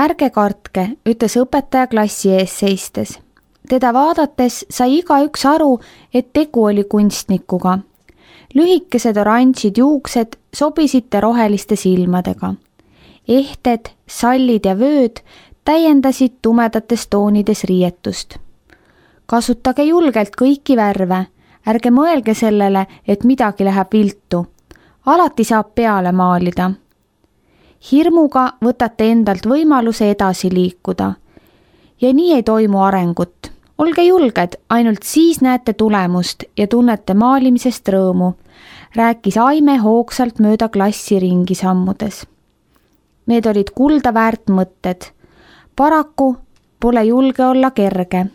Ärge kartke, ütles õpetaja klassi ees seistes. Teda vaadates sai igaüks aru, et tegu oli kunstnikuga. Lühikesed oranžid juuksed sobisid roheliste silmadega. Ehted, sallid ja vööd täiendasid tumedates toonides riietust. Kasutage julgelt kõiki värve, ärge mõelge sellele, et midagi läheb viltu. Alati saab peale maalida. Hirmuga võtate endalt võimaluse edasi liikuda. Ja nii ei toimu arengut. Olge julged, ainult siis näete tulemust ja tunnete maalimisest rõõmu, rääkis Aime hoogsalt mööda klassi ringi sammudes. Need olid kulda väärt mõtted. Paraku pole julge olla kerge.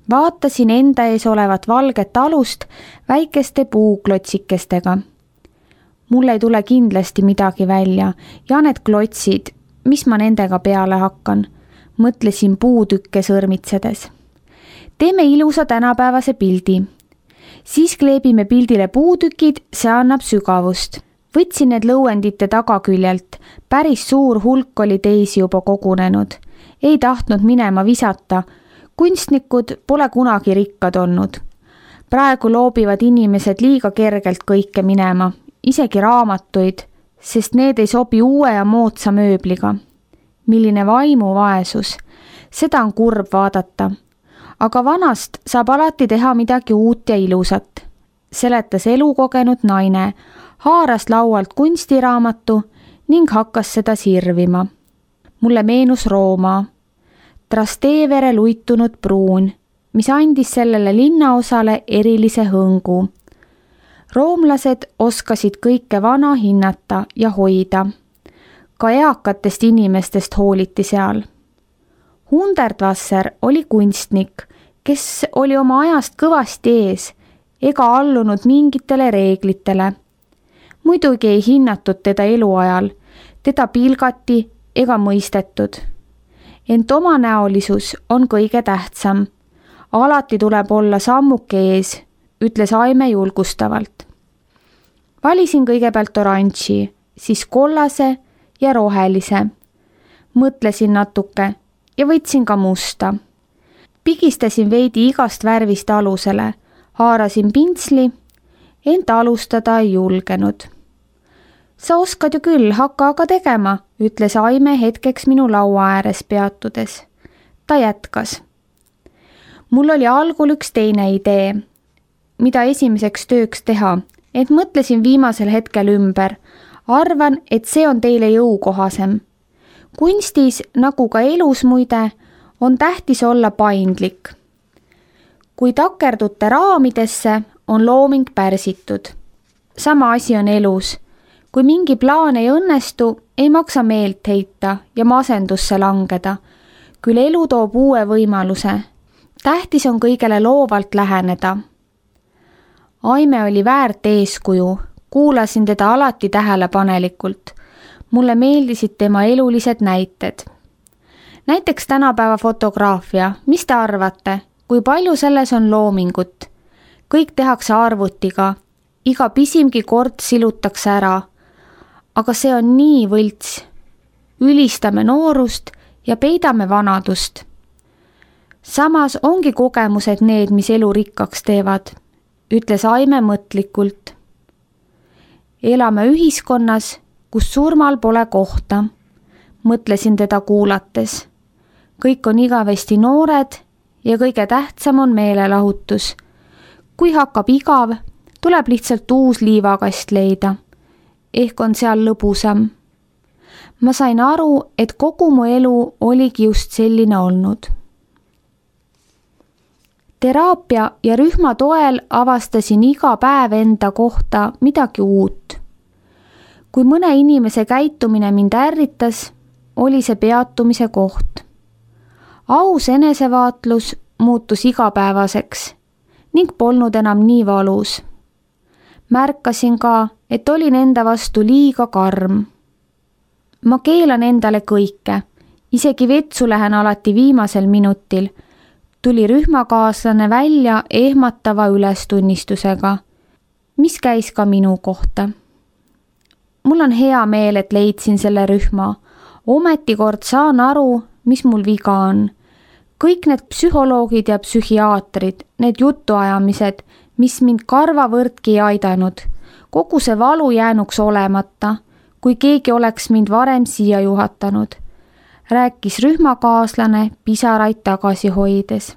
Vaatasin enda ees olevat valget alust väikeste puuklotsikestega. Mul ei tule kindlasti midagi välja ja need klotsid, mis ma nendega peale hakkan, mõtlesin puutükke sõrmitsedes. Teeme ilusa tänapäevase pildi. Siis kleebime pildile puutükid, see annab sügavust. Võtsin need lõuendite tagaküljelt, päris suur hulk oli teisi juba kogunenud. Ei tahtnud minema visata, kunstnikud pole kunagi rikkad olnud. Praegu loobivad inimesed liiga kergelt kõike minema, isegi raamatuid, sest need ei sobi uue ja moodsa mööbliga. Milline vaimuvaesus, seda on kurb vaadata. Aga vanast saab alati teha midagi uut ja ilusat, seletas elukogenud naine, haaras laualt kunstiraamatu ning hakkas seda sirvima. Mulle meenus Rooma, Trastevere luitunud pruun, mis andis sellele linnaosale erilise hõngu. Roomlased oskasid kõike vana hinnata ja hoida. Ka eakatest inimestest hooliti seal. Hundertwasser oli kunstnik, kes oli oma ajast kõvasti ees ega allunud mingitele reeglitele. Muidugi ei hinnatud teda eluajal, teda pilgati ega mõistetud. Ent omanäolisus on kõige tähtsam. Alati tuleb olla sammuke ees, ütles Aime julgustavalt. Valisin kõigepealt oranži, siis kollase ja rohelise. Mõtlesin natuke ja võtsin ka musta. Pigistasin veidi igast värvist alusele, haarasin pintsli, ent alustada ei julgenud. Sa oskad ju küll, hakka aga tegema, ütles Aime hetkeks minu laua ääres peatudes. Ta jätkas. Mul oli algul üks teine idee, mida esimeseks tööks teha, et mõtlesin viimasel hetkel ümber. Arvan, et see on teile jõukohasem. Kunstis, nagu ka elus muide, on tähtis olla paindlik. Kui takerdute raamidesse, on looming pärsitud. Sama asi on elus. Kui mingi plaan ei õnnestu, ei maksa meelt heita ja masendusse langeda. Küll elu toob uue võimaluse. Tähtis on kõigele loovalt läheneda. Aime oli väärt eeskuju. Kuulasin teda alati tähelepanelikult. Mulle meeldisid tema elulised näited. Näiteks tänapäeva fotograafia. Mis te arvate? Kui palju selles on loomingut? Kõik tehakse arvutiga. Iga pisimgi kord silutakse ära. Aga see on nii võlts. Ülistame noorust ja peidame vanadust. Samas ongi kogemused need, mis elu rikkaks teevad, ütles Aime mõtlikult. Elame ühiskonnas, kus surmal pole kohta, mõtlesin teda kuulates. Kõik on igavesti noored ja kõige tähtsam on meelelahutus. Kui hakkab igav, tuleb lihtsalt uus liivakast leida. Ehk on seal lõbusam. Ma sain aru, et kogu mu elu oligi just selline olnud. Teraapia ja rühma toel avastasin iga päev enda kohta midagi uut. Kui mõne inimese käitumine mind ärritas, oli see peatumise koht. Aus enesevaatlus muutus igapäevaseks ning polnud enam nii valus. Märkasin ka, et olin enda vastu liiga karm. Ma keelan endale kõike, isegi vetsu lähen alati viimasel minutil, tuli rühmakaaslane välja ehmatava ülestunnistusega, mis käis ka minu kohta. Mul on hea meel, et leidsin selle rühma. Ometi kord saan aru, mis mul viga on. Kõik need psühholoogid ja psühhiaatrid, need jutuajamised, mis mind karvavõrdki ei aidanud. Kogu see valu jäänuks olemata, kui keegi oleks mind varem siia juhatanud. Rääkis rühmakaaslane pisaraid tagasi hoides.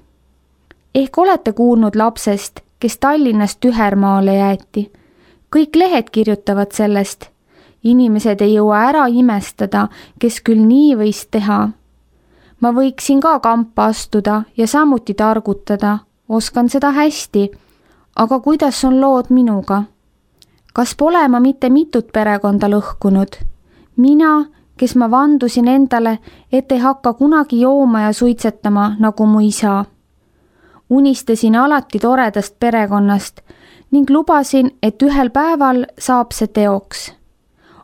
Ehk olete kuulnud lapsest, kes Tallinnast tühermaale jäeti. Kõik lehed kirjutavad sellest. Inimesed ei jõua ära imestada, kes küll nii võis teha. Ma võiksin ka kampa astuda ja samuti targutada. Oskan seda hästi. Aga kuidas on lood minuga? Kas pole ma mitte mitut perekonda lõhkunud? Mina, kes ma vandusin endale, et ei hakka kunagi jooma ja suitsetama nagu mu isa. Unistasin alati toredast perekonnast ning lubasin, et ühel päeval saab see teoks.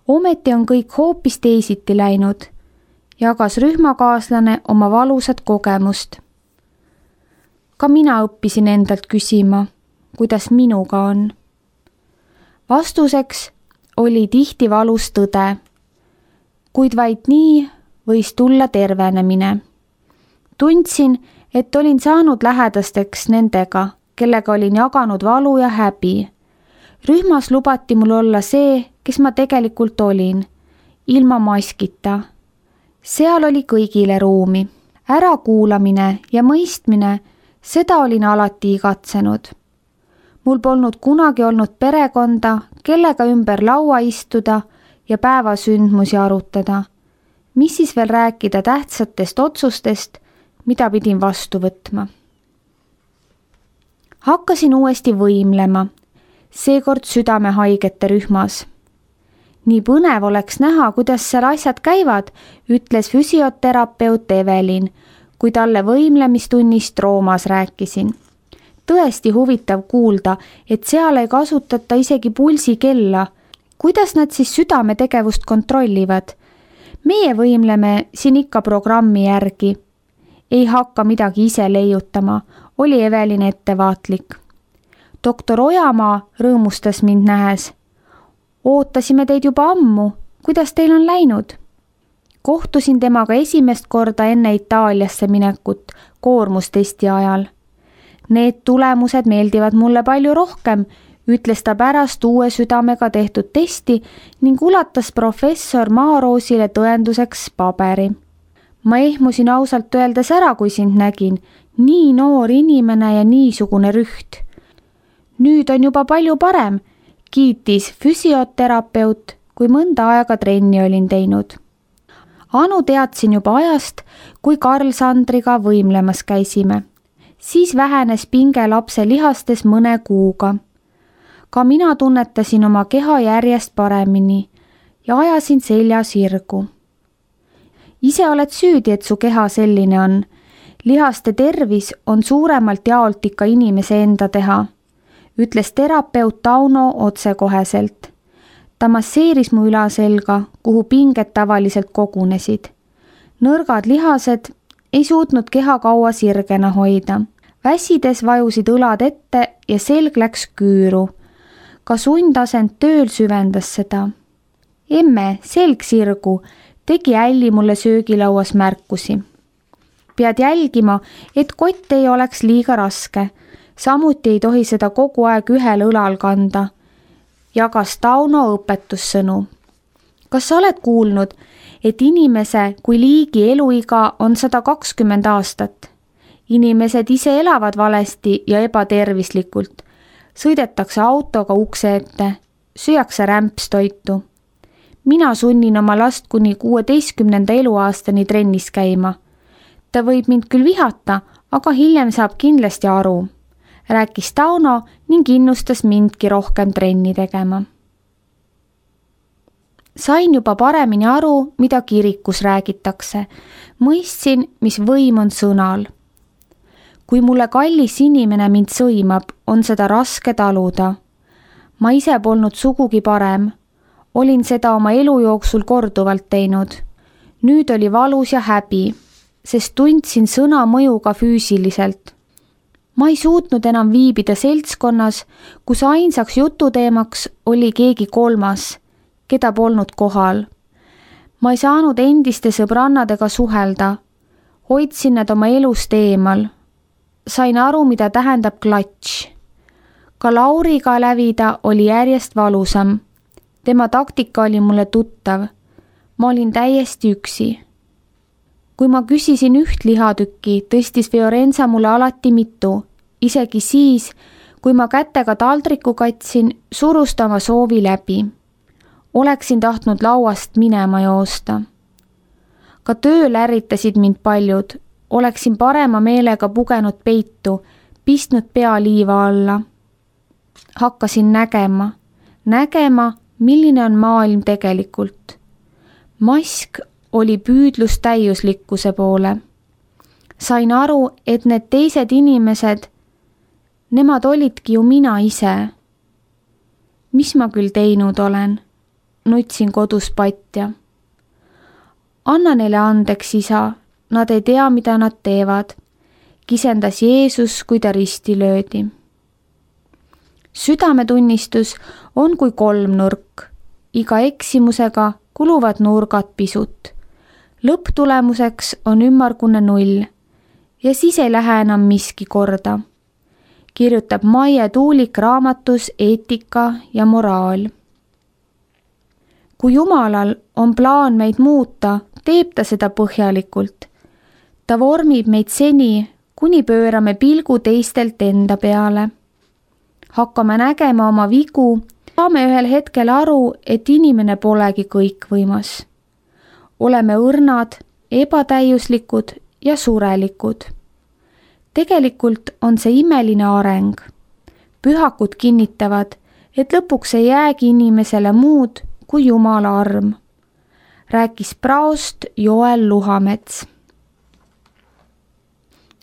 Ometi on kõik hoopis teisiti läinud, jagas rühmakaaslane oma valusat kogemust. Ka mina õppisin endalt küsima, kuidas minuga on. Vastuseks oli tihti valus tõde, kuid vaid nii võis tulla tervenemine. Tundsin, et olin saanud lähedasteks nendega, kellega olin jaganud valu ja häbi. Rühmas lubati mul olla see, kes ma tegelikult olin, ilma maskita. Seal oli kõigile ruumi. Ärakuulamine ja mõistmine, seda olin alati igatsenud. Mul polnud kunagi olnud perekonda, kellega ümber laua istuda ja päevasündmusi arutada. Mis siis veel rääkida tähtsatest otsustest, mida pidin vastu võtma. Hakkasin uuesti võimlema, seekord südamehaigete rühmas. Nii põnev oleks näha, kuidas seal asjad käivad, ütles füsioterapeut Evelin, kui talle võimlemistunnist Roomas rääkisin. Tõesti huvitav kuulda, et seal ei kasutata isegi pulsikella. Kuidas nad siis südametegevust kontrollivad? Meie võimleme siin ikka programmi järgi. Ei hakka midagi ise leiutama, oli Evelin ettevaatlik. Doktor Ojamaa rõõmustas mind nähes. Ootasime teid juba ammu, kuidas teil on läinud? Kohtusin temaga esimest korda enne Itaaliasse minekut koormustesti ajal. Need tulemused meeldivad mulle palju rohkem, ütles ta pärast uue südamega tehtud testi ning ulatas professor Maaroosile tõenduseks paberi. Ma ehmusin ausalt öeldes ära, kui sind nägin, nii noor inimene ja niisugune rüht. Nüüd on juba palju parem, kiitis füsioterapeut, kui mõnda aega trenni olin teinud. Anu teadsin juba ajast, kui Karl Sandriga võimlemas käisime. Siis vähenes pinge lapse lihastes mõne kuuga. Ka mina tunnetasin oma keha järjest paremini ja ajasin selja sirgu. Ise oled süüdi, et su keha selline on. Lihaste tervis on suuremalt jaolt ikka inimese enda teha, ütles terapeut Tauno otsekoheselt. Ta masseeris mu ülaselga, kuhu pinged tavaliselt kogunesid. Nõrgad lihased ei suutnud keha kaua sirgena hoida. Väsides vajusid õlad ette ja selg läks küüru. Ka sundasend tööl süvendas seda. Emme, selg sirgu, tegi Älli mulle söögilauas märkusi. Pead jälgima, et kott ei oleks liiga raske. Samuti ei tohi seda kogu aeg ühel õlal kanda. Jagas Tauno õpetussõnu. Kas sa oled kuulnud, et inimese kui liigi eluiga on 120 aastat? Inimesed ise elavad valesti ja ebatervislikult. Sõidetakse autoga ukse ette, süüakse rämpstoitu. Mina sunnin oma last kuni 16. eluaastani trennis käima. Ta võib mind küll vihata, aga hiljem saab kindlasti aru, rääkis Tauno ning innustas mindki rohkem trenni tegema. Sain juba paremini aru, mida kirikus räägitakse. Mõistsin, mis võim on sõnal. Kui mulle kallis inimene mind sõimab, on seda raske taluda. Ma ise polnud sugugi parem. Olin seda oma elu jooksul korduvalt teinud. Nüüd oli valus ja häbi, sest tundsin sõna mõju ka füüsiliselt. Ma ei suutnud enam viibida seltskonnas, kus ainsaks jututeemaks oli keegi kolmas, keda polnud kohal. Ma ei saanud endiste sõbrannadega suhelda, hoidsin nad oma elust eemal. Sain aru, mida tähendab klatš. Ka Lauriga lävida oli järjest valusam. Tema taktika oli mulle tuttav. Ma olin täiesti üksi. Kui ma küsisin üht lihatükki, tõstis Fiorenza mulle alati mitu. Isegi siis, kui ma kätega taldriku katsin, surus ta oma soovi läbi. Oleksin tahtnud lauast minema joosta. Ka tööl ärritasid mind paljud. Oleksin parema meelega pugenud peitu, pistnud pea liiva alla. Hakkasin nägema, milline on maailm tegelikult. Mask oli püüdlus täiuslikkuse poole. Sain aru, et need teised inimesed, nemad olidki ju mina ise. Mis ma küll teinud olen? Nutsin kodus patja. Anna neile andeks, isa, nad ei tea, mida nad teevad, kisendas Jeesus, kui ta risti löödi. Südametunnistus on kui kolmnurk, iga eksimusega kuluvad nurgad pisut. Lõpptulemuseks on ümmargune 0 ja siis ei lähe enam miski korda, kirjutab Maie Tuulik raamatus Eetika ja moraal. Kui Jumalal on plaan meid muuta, teeb ta seda põhjalikult. Ta vormib meid seni, kuni pöörame pilgu teistelt enda peale. Hakkame nägema oma vigu, saame ühel hetkel aru, et inimene polegi kõikvõimas. Oleme õrnad, ebatäiuslikud ja surelikud. Tegelikult on see imeline areng. Pühakud kinnitavad, et lõpuks ei jäägi inimesele muud kui Jumala arm, rääkis praost Joel Luhamets.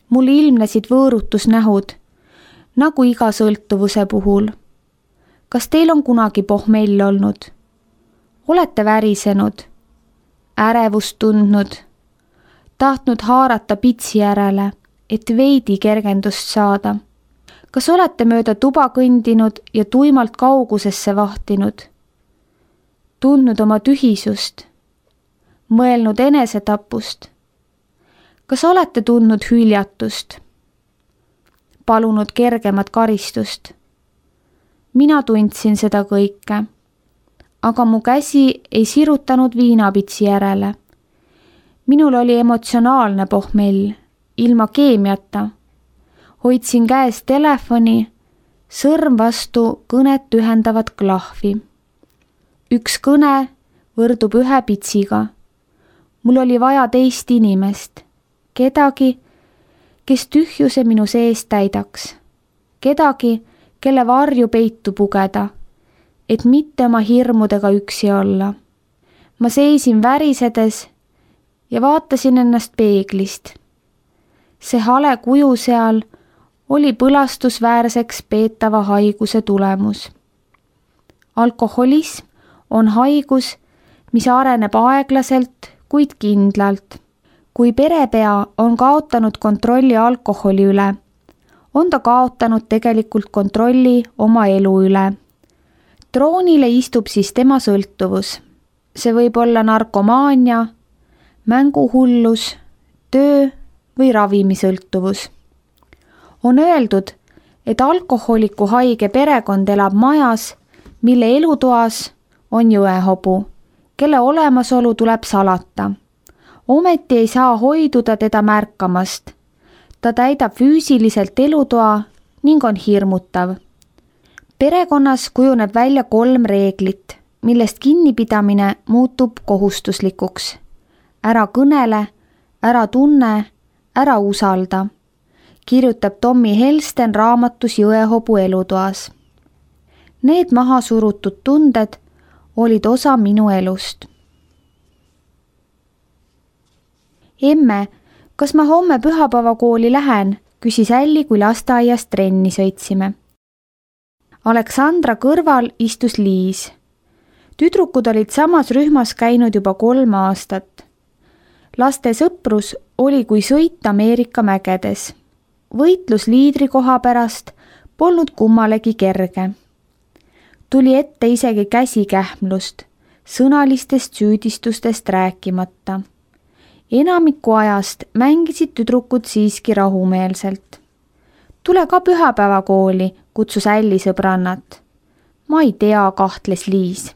Mul ilmnesid võõrutusnähud, nagu iga sõltuvuse puhul. Kas teil on kunagi pohmell olnud? Olete värisenud, ärevust tundnud, tahtnud haarata pitsi järele, et veidi kergendust saada? Kas olete mööda tuba kõndinud ja tuimalt kaugusesse vahtinud? Tundnud oma tühisust, mõelnud enesetapust? Kas olete tundnud hüljatust? Palunud kergemat karistust? Mina tundsin seda kõike, aga mu käsi ei sirutanud viinapitsi järele. Minul oli emotsionaalne pohmell, ilma keemiata. Hoidsin käes telefoni, sõrm vastu kõnet ühendavat klahvi. Üks kõne võrdub 1 pitsiga. Mul oli vaja teist inimest, kedagi, kes tühjuse minu sees täidaks, kedagi, kelle varju peitu pugeda, et mitte oma hirmudega üksi olla. Ma seisin värisedes ja vaatasin ennast peeglist. See hale kuju seal oli põlastusväärseks peetava haiguse tulemus. Alkoholism on haigus, mis areneb aeglaselt, kuid kindlalt. Kui perepea on kaotanud kontrolli alkoholi üle, on ta kaotanud tegelikult kontrolli oma elu üle. Troonile istub siis tema sõltuvus. See võib olla narkomaania, mänguhullus, töö või ravimisõltuvus. On öeldud, et alkoholiku haige perekond elab majas, mille elutoas on jõehobu, kelle olemasolu tuleb salata. Ometi ei saa hoiduda teda märkamast. Ta täidab füüsiliselt elutoa ning on hirmutav. Perekonnas kujuneb välja 3 reeglit, millest kinnipidamine muutub kohustuslikuks. Ära kõnele, ära tunne, ära usalda, kirjutab Tommy Helsten raamatus Jõehobu elutoas. Need maha surutud tunded olid osa minu elust. Emme, kas ma homme pühapäevakooli lähen, küsis Älli, kui lasteaiast trenni sõitsime. Aleksandra kõrval istus Liis. Tüdrukud olid samas rühmas käinud juba 3 aastat. Laste sõprus oli kui sõit Ameerika mägedes. Võitlus liidrikoha pärast polnud kummalegi kerge. Tuli ette isegi käsikähmlust, sõnalistest süüdistustest rääkimata. Enamiku ajast mängisid tüdrukud siiski rahumeelselt. Tule ka pühapäevakooli, kutsus Älli sõbrannat. Ma ei tea, kahtles Liis.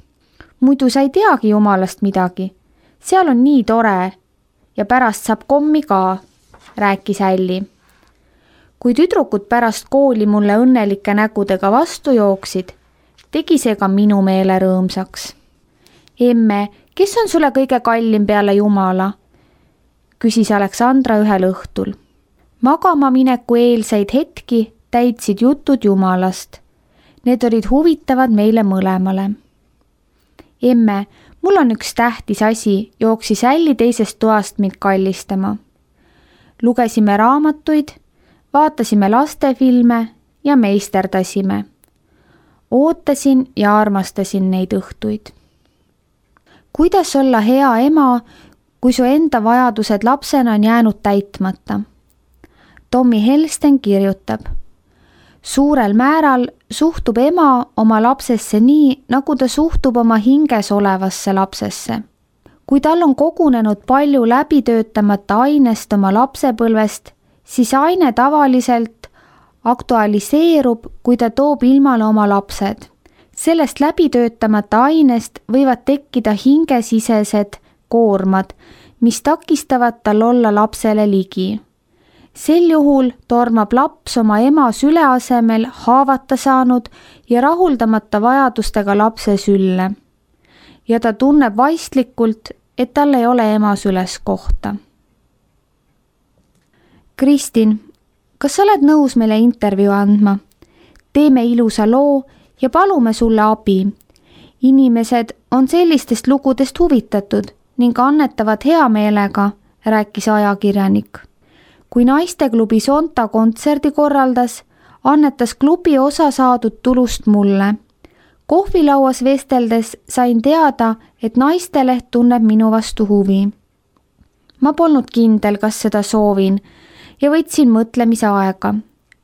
Muidu sa ei teagi jumalast midagi. Seal on nii tore ja pärast saab kommi ka, rääkis Älli. Kui tüdrukud pärast kooli mulle õnnelike nägudega vastu jooksid, tegi see ka minu meele rõõmsaks. Emme, kes on sulle kõige kallim peale Jumala? Küsis Aleksandra ühel õhtul. Magama mineku eelseid hetki täitsid jutud Jumalast. Need olid huvitavad meile mõlemale. Emme, mul on üks tähtis asi, jooksis Älli teisest toast mind kallistama. Lugesime raamatuid, vaatasime lastefilme ja meisterdasime. Ootasin ja armastasin neid õhtuid. Kuidas olla hea ema, kui su enda vajadused lapsena on jäänud täitmata? Tommy Helsten kirjutab. Suurel määral suhtub ema oma lapsesse nii, nagu ta suhtub oma hinges olevasse lapsesse. Kui tal on kogunenud palju läbitöötamata ainest oma lapsepõlvest, siis aine tavaliselt aktualiseerub, kui ta toob ilmale oma lapsed. Sellest läbitöötamata ainest võivad tekkida hingesisesed koormad, mis takistavad tal olla lapsele ligi. Sel juhul tormab laps oma ema süle asemel haavata saanud ja rahuldamata vajadustega lapse sülle. Ja ta tunneb vaistlikult, et tal ei ole ema süles kohta. Kristin, kas sa oled nõus meile intervjuu andma? Teeme ilusa loo ja palume sulle abi. Inimesed on sellistest lugudest huvitatud ning annetavad hea meelega, rääkis ajakirjanik. Kui naisteklubi Sonta kontserdi korraldas, annetas klubi osa saadud tulust mulle. Kohvilauas vesteldes sain teada, et naisteleht tunneb minu vastu huvi. Ma polnud kindel, kas seda soovin ja võtsin mõtlemise aega.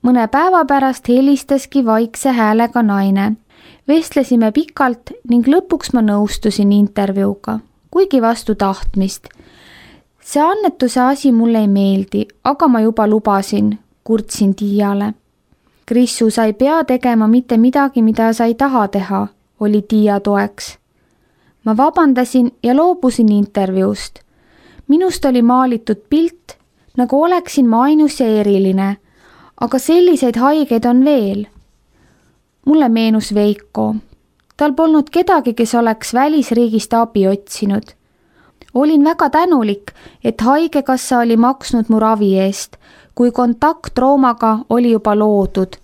Mõne päeva pärast helistaski vaikse häälega naine. Vestlesime pikalt ning lõpuks ma nõustusin intervjuuga, kuigi vastu tahtmist. See annetuse asi mulle ei meeldi, aga ma juba lubasin, kurtsin Tiiale. Krissu, sa ei pea tegema mitte midagi, mida sa ei taha teha, oli Tiia toeks. Ma vabandasin ja loobusin intervjuust. Minust oli maalitud pilt, nagu oleksin ma ainus ja eriline, aga selliseid haigeid on veel. Mulle meenus Veiko. Tal polnud kedagi, kes oleks välisriigist abi otsinud. Olin väga tänulik, et haigekassa oli maksnud mu ravi eest, kui kontaktroomaga oli juba loodud,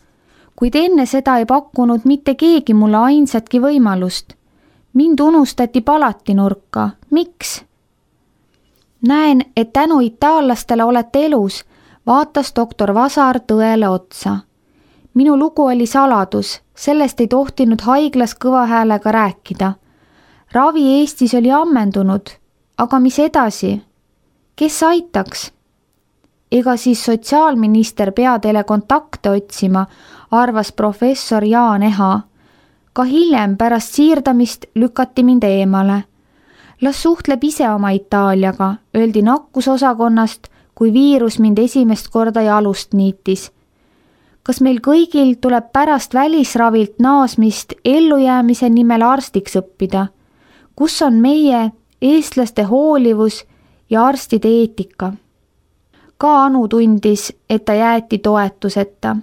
kuid enne seda ei pakkunud mitte keegi mulle ainsatki võimalust. Mind unustati palati nurka. Miks? Näen, et tänu itaallastele olete elus, vaatas doktor Vasar tõele otsa. Minu lugu oli saladus, sellest ei tohtinud haiglas kõva häälega rääkida. Ravi Eestis oli ammendunud, aga mis edasi? Kes aitaks? Ega siis sotsiaalminister pea teile kontakte otsima, arvas professor Jaan Eha. Ka hiljem pärast siirdamist lükati mind eemale. Las suhtleb ise oma Itaaliaga, öeldi nakkusosakonnast, kui viirus mind esimest korda jalust niitis. Kas meil kõigil tuleb pärast välisravilt naasmist ellujäämise nimel arstiks õppida? Kus on meie eestlaste hoolivus ja arstide eetika? Ka Anu tundis, et ta jäeti toetuseta.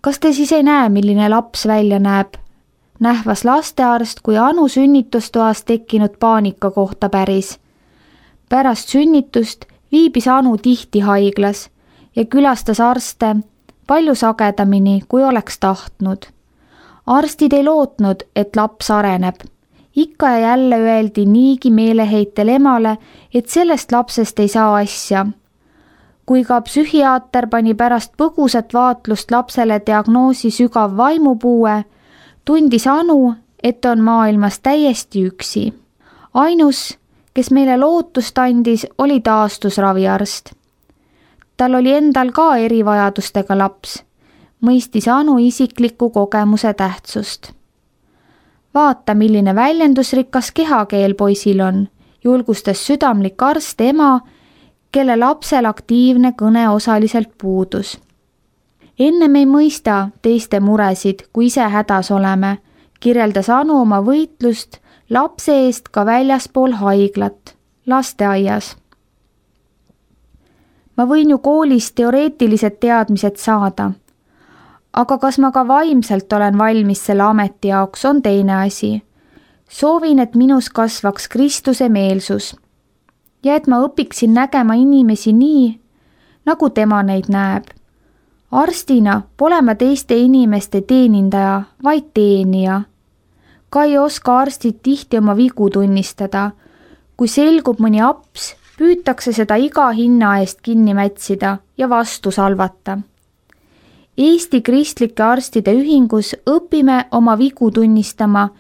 Kas te siis ei näe, milline laps välja näeb? Nähvas lastearst, kui Anu sünnitustoas tekkinud paanika kohta päris. Pärast sünnitust viibis Anu tihti haiglas ja külastas arste palju sagedamini, kui oleks tahtnud. Arstid ei lootnud, et laps areneb. Ikka ja jälle öeldi niigi meeleheitel emale, et sellest lapsest ei saa asja. Kui ka psühhiaater pani pärast põgusat vaatlust lapsele diagnoosi sügav vaimupuue, tundis Anu, et on maailmas täiesti üksi. Ainus, kes meile lootust andis, oli taastusraviarst. Tal oli endal ka erivajadustega laps, mõistis Anu isikliku kogemuse tähtsust. vaata, milline väljendusrikas kehakeel poisil on, julgustas südamlik arst ema, kelle lapsel aktiivne kõne osaliselt puudus. Ennem ei mõista teiste muresid, kui ise hädas oleme, kirjeldas Anu oma võitlust lapse eest ka väljaspool haiglat, lasteaias. Ma võin ju koolis teoreetilised teadmised saada, aga kas ma ka vaimselt olen valmis selle ameti jaoks, on teine asi. Soovin, et minus kasvaks Kristuse meelsus ja et ma õpiksin nägema inimesi nii, nagu tema neid näeb. Arstina pole ma teiste inimeste teenindaja, vaid teenija. Ka ei oska arstid tihti oma vigu tunnistada. Kui selgub mõni aps, püütakse seda iga hinna eest kinni mätsida ja vastu salvata. Eesti Kristlike Arstide Ühingus õpime oma vigu tunnistama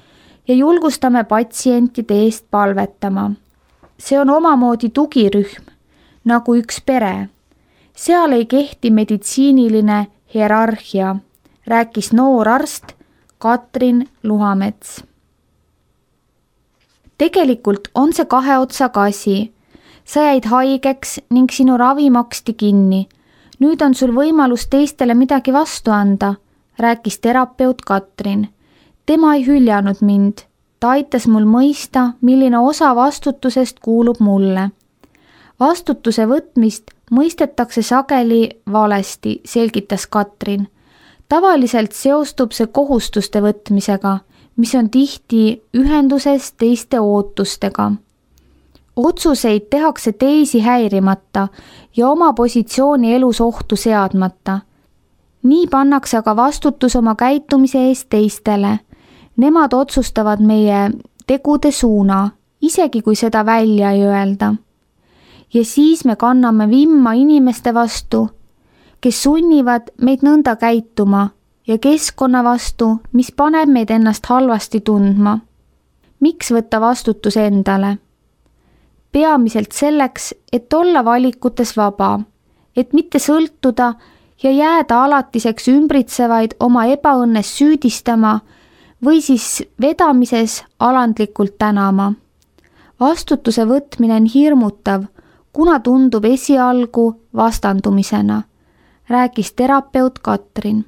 ja julgustame patsientide eest palvetama. See on omamoodi tugirühm, nagu üks pere. Seal ei kehti meditsiiniline hierarhia, rääkis noor arst Katrin Luhamets. Tegelikult on see kahe otsaga asi. Sa jäid haigeks ning sinu ravi maksti kinni. Nüüd on sul võimalus teistele midagi vastu anda, rääkis terapeut Katrin. Tema ei hüljanud mind. Ta aitas mul mõista, milline osa vastutusest kuulub mulle. Vastutuse võtmist mõistetakse sageli valesti, selgitas Katrin. Tavaliselt seostub see kohustuste võtmisega, mis on tihti ühenduses teiste ootustega. Otsuseid tehakse teisi häirimata ja oma positsiooni elus ohtu seadmata. Nii pannakse aga vastutus oma käitumise eest teistele. Nemad otsustavad meie tegude suuna, isegi kui seda välja ei öelda. Ja siis me kanname vimma inimeste vastu, kes sunnivad meid nõnda käituma ja keskkonna vastu, mis paneb meid ennast halvasti tundma. Miks võtta vastutus endale? Peamiselt selleks, et olla valikutes vaba, et mitte sõltuda ja jääda alatiseks ümbritsevaid oma ebaõnnes süüdistama või siis vedamises alandlikult tänama. Vastutuse võtmine on hirmutav, kuna tundub esialgu vastandumisena, rääkis terapeut Katrin.